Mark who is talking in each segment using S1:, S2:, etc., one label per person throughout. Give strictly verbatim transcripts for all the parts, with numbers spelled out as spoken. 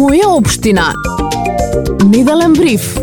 S1: Моја општина. Неделен бриф.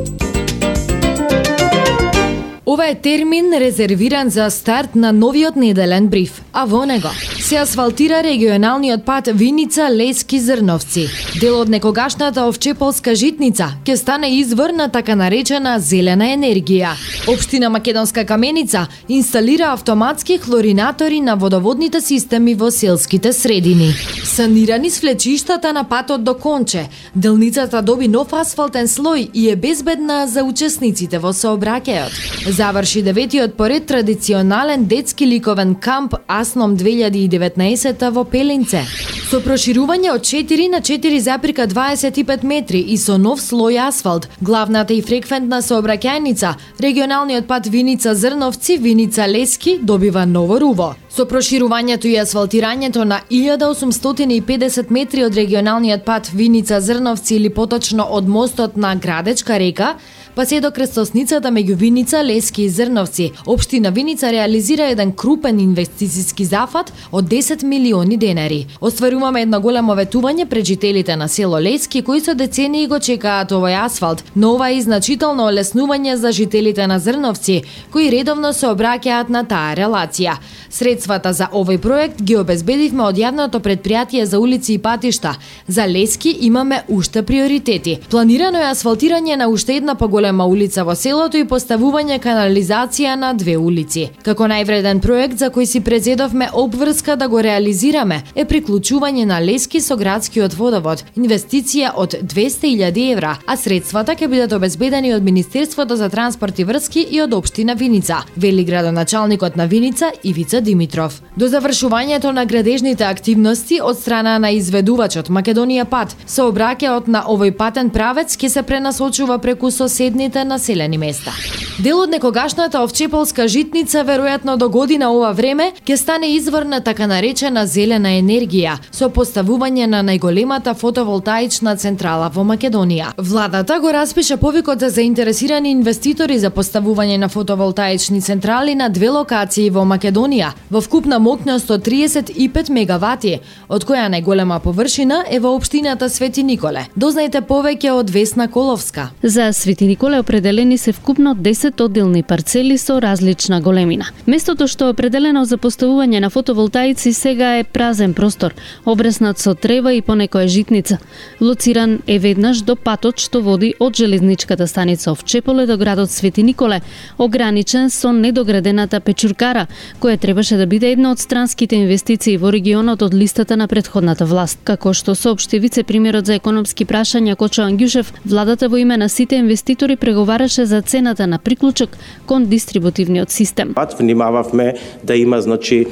S1: Ова е термин резервиран за старт на новиот неделен бриф, а во него се асфалтира регионалниот пат Виница Лески Зрновци. Дел од некогашната Овчеполска житница ќе стане извор на така наречена зелена енергија. Општина Македонска Каменица инсталира автоматски хлоринатори на водоводните системи во селските средини. Санирани свлечиштата на патот до Конче, делницата доби нов асфалтен слој и е безбедна за учесниците во сообраќајот. Заврши деветиот поред традиционален детски ликовен камп Асном две илјади и деветнаесетта во Пелинце. Со проширување од четири на четири запирка дваесет и пет метри и со нов слој асфалт, главната и фреквентна сообраќајница, регионалниот пат Виница Зрновци Виница Лески добива ново руво. Со проширувањето и асфалтирањето на илјада осумстотини и педесет метри од регионалниот пат Виница Зрновци или поточно од мостот на Градечка река, па се до крстосницата меѓу Виница, Лески и Зрновци, општина Виница реализира еден крупен инвестициски зафат од десет милиони денари. Остваруваме едно големо ветување пред жителите на село Лески кои со децении го чекаат овој асфалт, но ова е значително олеснување за жителите на Зрновци, кои редовно се обраќаат на таа релација. Средствата за овој проект ги обезбедивме од јавното предпријатие за улици и патишта. За Лески имаме уште приоритети. Планирано е асфалтирање на уште една поголема улица во селото и поставување канализација на две улици. Како највреден проект за кој си презедовме обврска да го реализираме е приклучување на Лески со градскиот водовод, инвестиција од двесте илјади евра, а средствата ќе бидат обезбедени од Министерството за транспорт и врски и од општина Виница, вели градоначалникот на Виница Ивица Димитров. До завршувањето на градежните активности од страна на изведувачот Македонија Пат, сообраќајот на овој патен правец ќе се пренасочува преку соседните населени места. Дел од некогашната Овчеполска житница веројатно до година ова време ќе стане извор на така наречена зелена енергија со поставување на најголемата фотоволтаична централа во Македонија. Владата го распиша повикот за заинтересирани инвеститори за поставување на фотоволтаични централи на две локации во Македонија, во вкупна моќност од триесет и пет мегавати, од која најголема површина е во општината Свети Николе. Дознајте повеќе од Весна Коловска.
S2: За Свети Николе определени се вкупно десет одделни парцели со различна големина. Местото што е определено за поставување на фотоволтаици сега е празен простор, обреснат со трева и понекоја житница. Лоциран е веднаш до патот што води од железничката станица Овчеполе до градот Свети Николе, ограничен со недоградената печуркара, која требаше да биде една од странските инвестиции во регионот од листата на претходната власт. Како што соопшти вице-премиерот за економски прашања Кочо Ангјушев, владата во име на сите инвеститори преговараше за цената на приклучок кон дистрибутивниот систем.
S3: Внимававме да има значи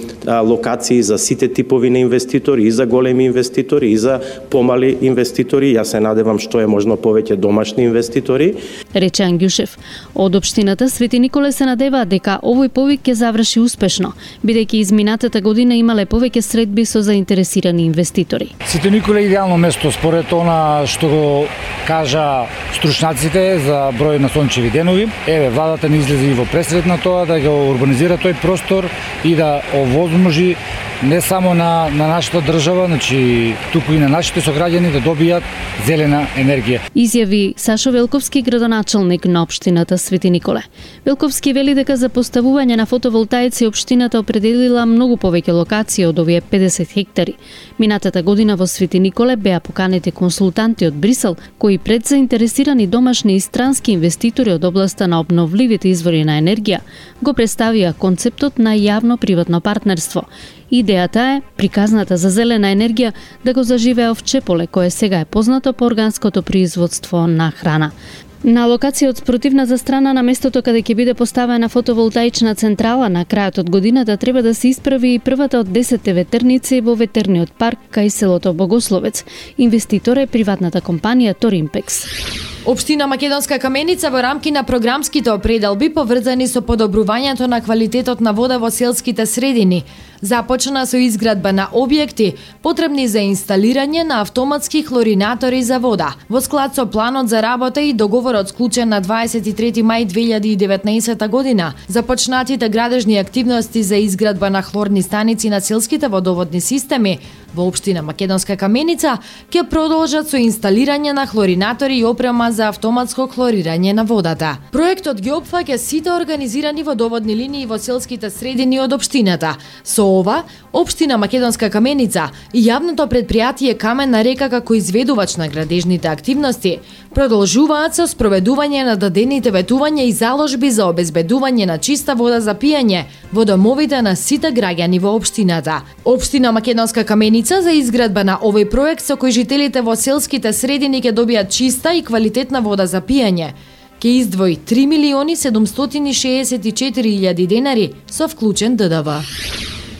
S3: локации за сите типови на инвеститори, и за големи инвеститори, и за помали инвеститори. Јас се надевам што е можно повеќе домашни инвеститори.
S2: Рече Ангјушев. Од општината Свети Николе се надеваат дека овој повик ќе заврши успешно, бидејќи изминатата година имале повеќе средби со заинтересирани инвеститори.
S4: Свети Николе е идеално место според она што го кажа стручњаците за број на сончеви денови. Еве, владата не излезе и во пресред на тоа да го урбанизира тој простор и да овозможи не само на, на нашата држава, значи туку и на нашите сограѓани да добијат зелена енергија.
S2: Изјави Сашо Велковски, градоначалник на општината Свети Николе. Велковски вели дека за поставување на фотоволтаици општината определила многу повеќе локации од овие педесет хектари. Минатата година во Свети Николе беа поканети консултанти од Брисел, кои пред заинтересирани домашни и странски инвеститори од областа на обновливите извори на енергија го представија концептот на јавно-приватно партнерство. Идејата е приказната за зелена енергија да го заживее Овчеполе, кое сега е познато по органското производство на храна. На локација од спротивната страна на местото каде ќе биде поставена фотоволтаична централа на крајот од годината треба да се исправи и првата од десетте ветерници во ветерниот парк кај селото Богословец. Инвеститор е приватната компанија Торимпекс.
S1: Општина Македонска Каменица во рамки на програмските определби поврзани со подобрувањето на квалитетот на вода во селските средини, Започна со изградба на објекти потребни за инсталирање на автоматски хлоринатори за вода. Во склад со планот за работа и договорот склучен на дваесет и трети мај две илјади и деветнаесета година, започнатите градежни активности за изградба на хлорни станици на селските водоводни системи во општина Македонска Каменица ќе продолжат со инсталирање на хлоринатори и опрема за автоматско хлорирање на водата. Проектот ги опфаќа сите организирани водоводни линии во селските средини од општината. Со ова, општина Македонска Каменица и јавното предпријатие Каменна река како изведувач на градежните активности продолжуваат со спроведување на дадените ветувања и заложби за обезбедување на чиста вода за пиење во домовите на сите граѓани во општината. Општина Македонска Каменица за изградба на овој проект со кој жителите во селските средини ќе добијат чиста и квалитетна вода за пиење ќе издвои три милиони седумстотини шеесет и четири илјади денари со вклучен Д Д В.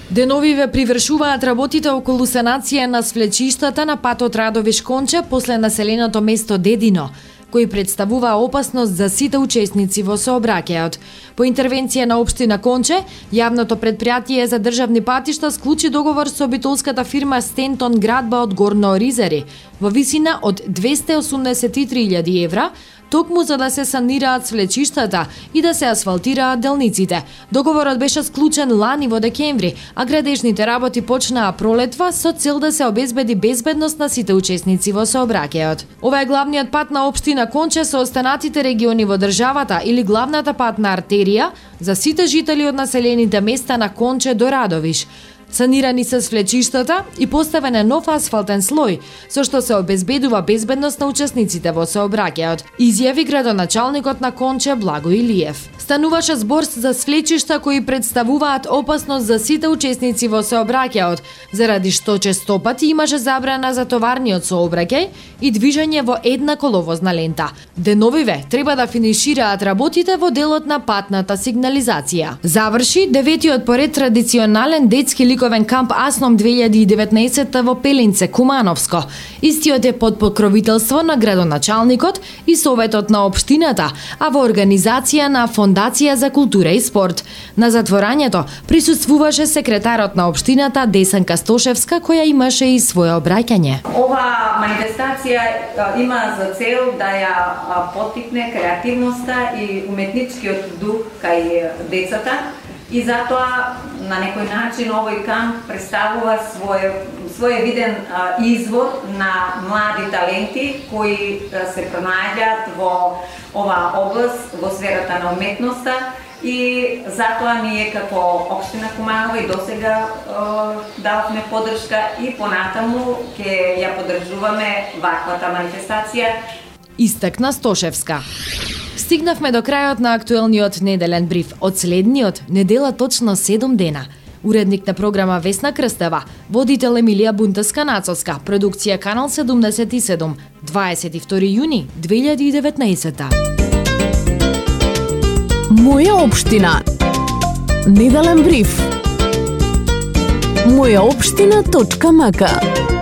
S1: Деновиве привршуваат работите околу санација на свлечиштата на патот Радовиш-Конче после населеното место Дедино, кој представува опасност за сите учесници во сообраќајот. По интервенција на општина Конче, јавното предпријатие за државни патишта склучи договор со битолската фирма Стентон Градба од Горно Оризари во висина од двесте осумдесет и три илјади евра, токму за да се санираат свлечиштата и да се асфалтираат делниците. Договорот беше склучен лани во декември, а градежните работи почнаа пролетва со цел да се обезбеди безбедност на сите учесници во сообраќајот. Ова е главниот пат на општина Конче со останатите региони во државата или главната патна артерија за сите жители од населените места на Конче до Радовиш. Санирани се свлечиштата и поставен е нов асфалтен слој, со што се обезбедува безбедност на учесниците во сообраќајот, изјави градоначалникот на Конче Благо Илиев. Стануваше збор за свлечишта кои представуваат опасност за сите учесници во сообраќајот, заради што честопати имаше забрана за товарниот сообраќај и движење во една коловозна лента. Деновиве треба да финишираат работите во делот на патната сигнализација. Заврши деветиот поред традиционален детски ликовен камп Асном две илјади и деветнаесета во Пелинце, Кумановско. Истиот е под покровителство на градоначалникот и советот на општината, а во организација на Фондација за култура и спорт. На затворањето присуствуваше секретарот на општината Десанка Стошевска, која имаше и свое обраќање.
S5: Ова манифестација има за цел да ја поттикне креативноста и уметничкиот дух кај децата. И затоа на некој начин овој камп представува свој своевиден а, извор на млади таленти кои а, се пронајдат во оваа област, во сферата на уметноста, и затоа ние како општина Куманово и досега дававме поддршка и понатаму ќе ја поддржуваме ваквата манифестација.
S1: Истакна Стошевска. Стигнавме до крајот на актуелниот неделен бриф. Од следниот недела точно седум дена. Уредник на програма Весна Крстева, водител Емилија Бунтеска-Нацовска, продукција Канал седумдесет и седум, дваесет и втори јуни две илјади и деветнаесета.
S6: Моја општина. Неделен бриф. моја општина точка м к